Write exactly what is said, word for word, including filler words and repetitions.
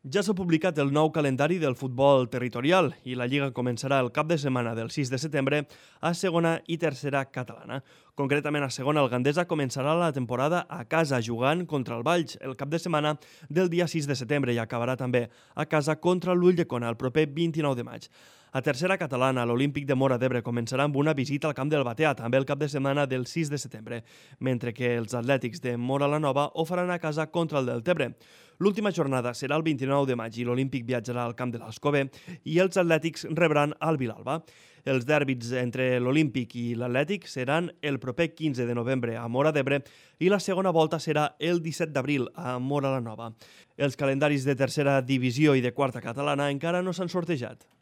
Ja s'ha publicat el nou calendari del futbol territorial i la Lliga començarà el cap de setmana del sis de setembre a segona i tercera catalana. Concretament, a segona, el Gandesa començarà la temporada a casa jugant contra el Valls el cap de setmana del dia sis de setembre i acabarà també a casa contra l'Ulldecona el proper vint-i-nou de maig. A tercera catalana, l'Olímpic de Móra d'Ebre començarà amb una visita al camp del Batea, també el cap de setmana del sis de setembre, mentre que els atlètics de Móra la Nova ho faran a casa contra el Deltebre. L'última jornada serà el vint-i-nou de maig i l'Olímpic viatjarà al camp de l'Alcover i els atlètics rebran el Vilalba. Els dèrbits entre l'Olímpic i l'Atlètic seran el proper quinze de novembre a Móra d'Ebre i la segona volta serà el disset d'abril a Móra la Nova. Els calendaris de tercera divisió i de quarta catalana encara no s'han sortejat.